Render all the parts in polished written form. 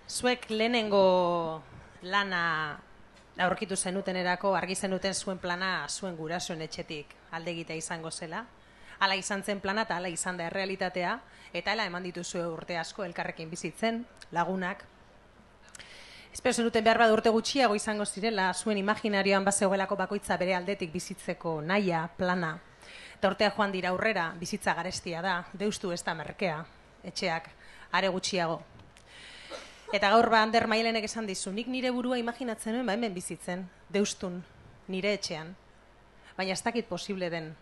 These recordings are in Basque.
Zuek lehenengo lana aurkitu zenutenerako argi zenuten zuen plana zuen gurasoen etxetik alde egitea izango zela. Hala izan zen plana eta hala izan da errealitatea, eta hala eman dituzue urte asko elkarrekin bizitzen, lagunak. Espero zenuten behar bada urte gutxiago izango zirela, zuen imaginarioan bazegoelako bakoitza bere aldetik bizitzeko naia, plana. Eta urtea joan dira aurrera, bizitza garestia da, deustu ez da merkea, etxeak, are gutxiago. Eta gaur Ander Mailenek esan dizu, nik nire burua imaginatzen nuen, hemen bizitzen, deustun, nire etxean. Baina ez dakit posible den.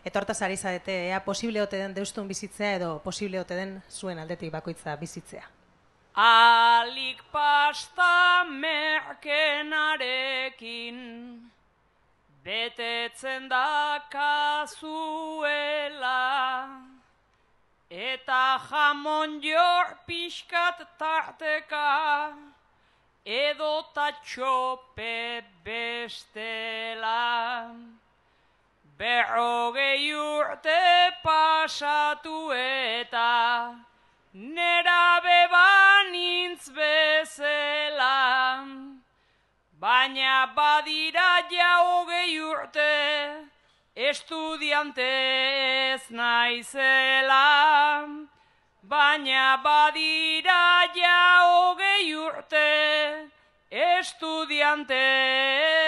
Eta hortaz ari zarete, ea posible ote den deustun bizitzea edo posible ote den zuen aldetik bakoitza bizitzea. Alik pasta merkenarekin betetzen da kazuela, eta jamon jor pixkat tarteka edo tatxope bestela. 40 urte pasatu eta nerabe banintz bezala, baina badira ja 20 urte estudiante ez naizela, baina badira ja 20 urte estudiante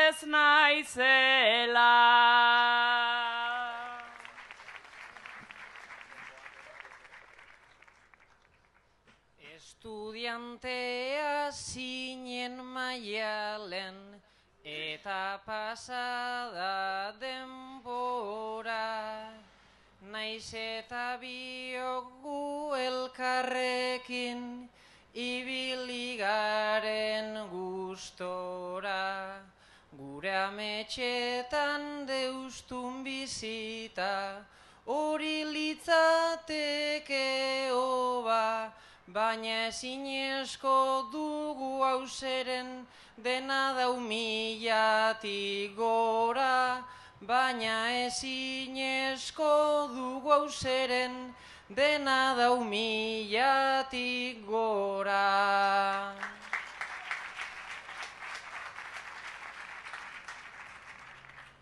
ez naizela. Estudiantea zinen Maialen, eta pasada denbora, naiz eta biok gu elkarrekin ibili garen gustora. Gure ametxetan deustun bizita, hori litzateke hoba, baina ezinezko dugu hauseren dena dau 1000tik gora, baina ezinezko dugu hauseren dena dau 1000tik gora.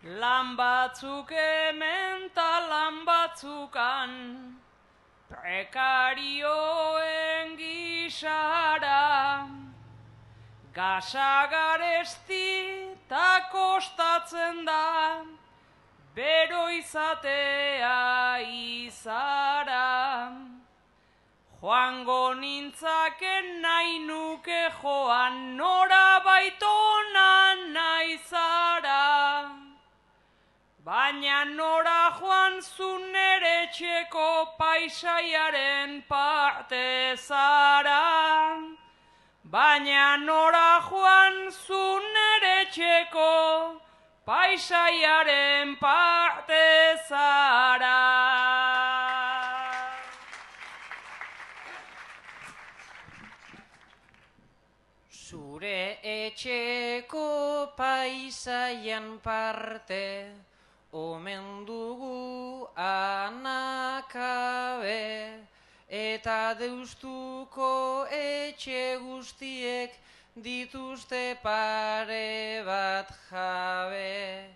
Lan batzuk hemen ta lan batzukan, prekarioen gisara, gasa garesti ta kostatzen da, bero izatea izara. Joango nintzaken nahi nuke joan, nora baitona nahi zara, baina nora joan zu nere etxeko paisaiaren parte zara. Baina nora joan zu nere etxeko paisaiaren parte zara. Zure etxeko paisaian parte omen dugu anakabe, eta deustuko etxe guztiek dituzte pare bat jabe.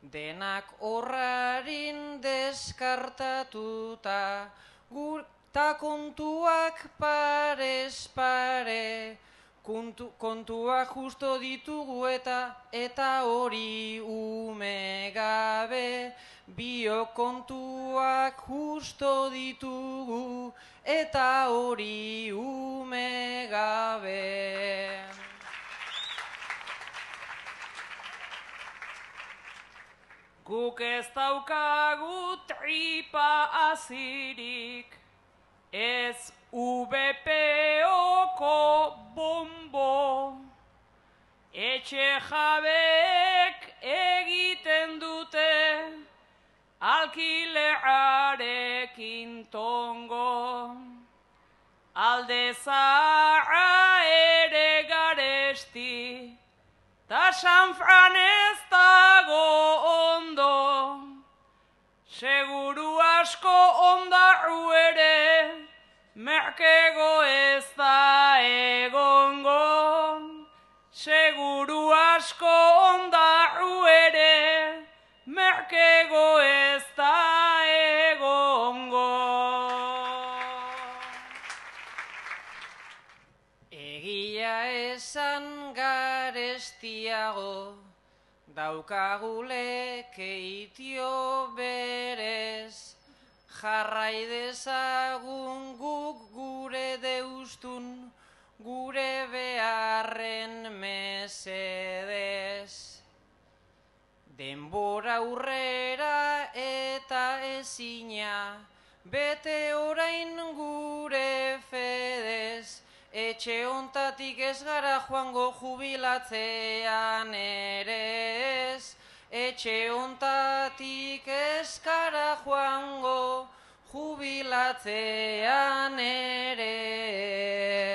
Denak horrarin deskartatuta, ta kontuak parez pare, kontuak justo ditugu eta hori ume gabe. Biok kontuak justo ditugu eta hori ume gabe. Guk ez daukagu tripa azirik, ez VPO-ko bombo, etxe jabek egiten dute alkilearekin tongo. Alde zaharra ere garesti, ta San Fran ez dago ondo, seguru asko ondarru ere, merkego ez da asko ondaru ere, merkego ez da egongo. Egia esan garestiago, daukagulek eitio berez, jarrai dezagun guk gure deustun, gure beharren mesedez. Denbora aurrera eta ezina, bete orain gure fedez, etxe hontatik ez gara joango jubilatzean ere ez, etxe hontatik ez gara joango jubilatzean ere ez.